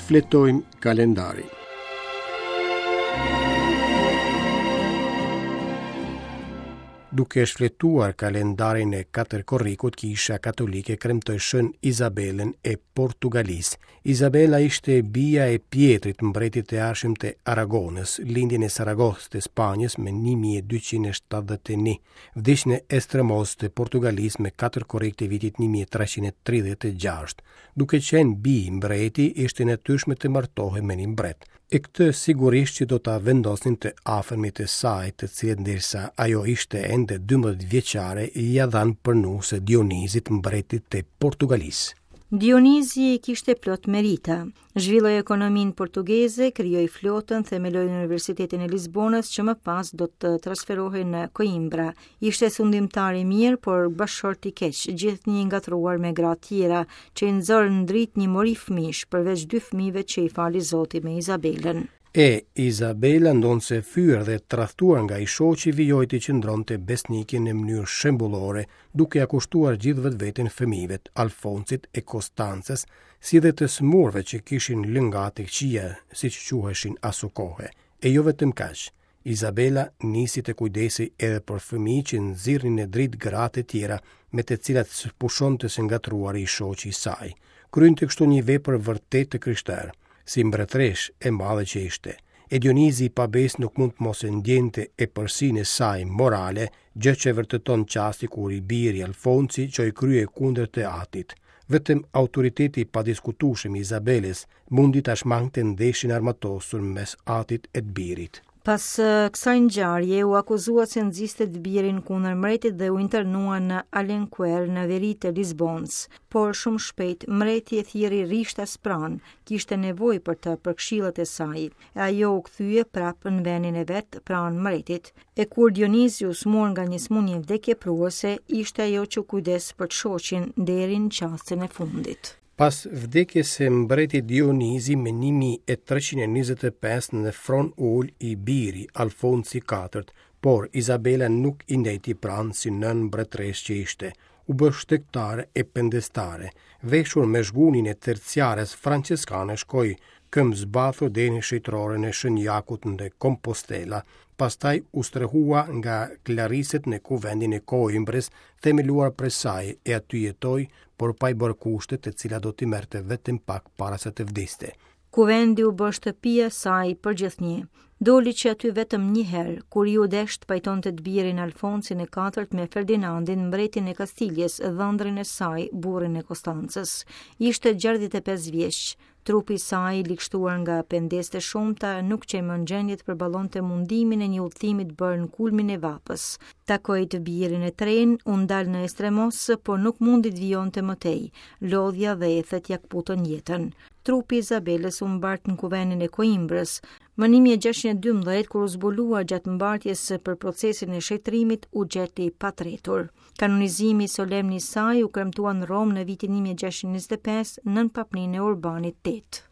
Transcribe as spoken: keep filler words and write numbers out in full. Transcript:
Shfletojmë kalendarin. Duke shfletuar kalendarin e katër korrikut, Kisha Katolike kremtoi Shën Izabelën e Portugalisë. Izabela ishte bija e Pietrit, mbretit të ardhshëm të Aragonës, lindi në Saragossë të Spanjës më një mijë e dyqind e shtatëdhjetë e një. Vdiq në Estremoz të Portugalisë më katër korrik të vitit një mijë e treqind e tridhjetë e gjashtë. Duke qenë bijë mbreti, ishte e natyrshme të martohej me një mbret. E këtë sigurisht që do ta vendosnin të afërmit e saj, të cilët ndërsa ajo ishte ende dymbëdhjetë vjeçare, ia dhanë për nuse Dionizit, mbretit të Portugalisë. Dionizi kishte plot merita. Zhvilloi ekonominë portugeze, krijoi flotën, themeloi Universitetin e Lisbonës, që më pas do të transferohej në Coimbra. Ishte sundimtar i mirë, por bashkëshort i keq, gjithnjë i ngatërruar me gra tjera, që i nxorën në dritë një mori fëmijësh, përveç dy fëmijëve që i fali Zoti me Izabelën. E Izabela, ndonëse fyer dhe tradhtuar nga i shoqi, vijoi të qëndronte besnike në mënyrë shembullore, duke ia kushtuar gjithë vetveten fëmijëve, Alfonsit e Konstancës, si dhe të sëmurëve që kishin lëngatë e këqija, siç quheshin asokohe. E jo vetëm kaq, Izabela nisi të kujdesej edhe për fëmijë që nxirrnin në dritë gratë e tjera me të cilat s'pushonte së ngatërruari i shoqi i saj. Kryente kështu një vepër vërtet të krishterë, si mbretëresh e madhe që ishte. E Dionizi i pabesë nuk mund të mos e ndjente epërsinë e saj morale, gjë që vërteton çasti kur i biri Alfonsi çoi krye kundër të atit. Vetëm autoriteti i padiskutueshëm i Izabelës mundi ta shmangte ndeshjen armatosur mes atit e të birit. Pas, eh, kësaj ngjarje u akuzua se nxiste të birin kundër mbretit dhe u internua në Alenquer në veri të Lisbonës. Por shumë shpejt mbreti e thirri rishtas pranë, kishte nevojë për të për këshillat e saj. E ajo u kthye prapë në vendin e vet pranë mbretit. E kur Dionizi u smur nga një sëmundje vdekjepruese, ishte ajo që u kujdes për të shoqin deri në çastin e fundit. Pas vdekjes së mbretit Dionizi më një mijë e treqind e njëzet e pesë në fron u ul i biri Alfonsi i katërt, por Izabela nuk i ndejti pranë si nën mbretëresh që ishte. U bë shtegtare e pendestare, veshur me zhgunin e terciares franceskane shkoi këmbë zbathur deri në shëtroren e Shën Jakut në Compostela, pastaj u strehua nga Klariset në kuvendin e Coimbrës, themeluar prej saj, e aty jetoi, por pa i bërë kushtet të cilat do t'i merrte vetëm pak para se të vdiste. Kuvendi u bë shtëpia e saj për gjithnjë. Doli që aty vetëm një herë, kur iu desh të pajtonte të birin Alfonsin e katërt me Ferdinandin, mbretin e Kastiljes, dhëndrin e saj, burrin e Konstancës. Ishte gjashtëdhjetë e pesë vjeç. Trupi i saj, ligështuar nga pendesët e shumta, nuk qe më në gjendje të përballonte mundimin e një udhëtimi të bërë në kulmin e vapës. Takoi të birin e tren, u ndal në Estremos, por nuk mundi të vijonte më tej. Lodhja dhe ethet ia kputën jetën. Trupi i Izabelës u mbart në kuvendin e Coimbrës. Më një mijë e gjashtëqind e dymbëdhjetë, kur u zbulua gjatë mbartjes për procesin e shetrimit, u gjet i patretur. Kanonizimi solemn i saj u kremtua në Romë në vitin një mijë e gjashtëqind e njëzet e pesë nën papninë e Urbanit tetë.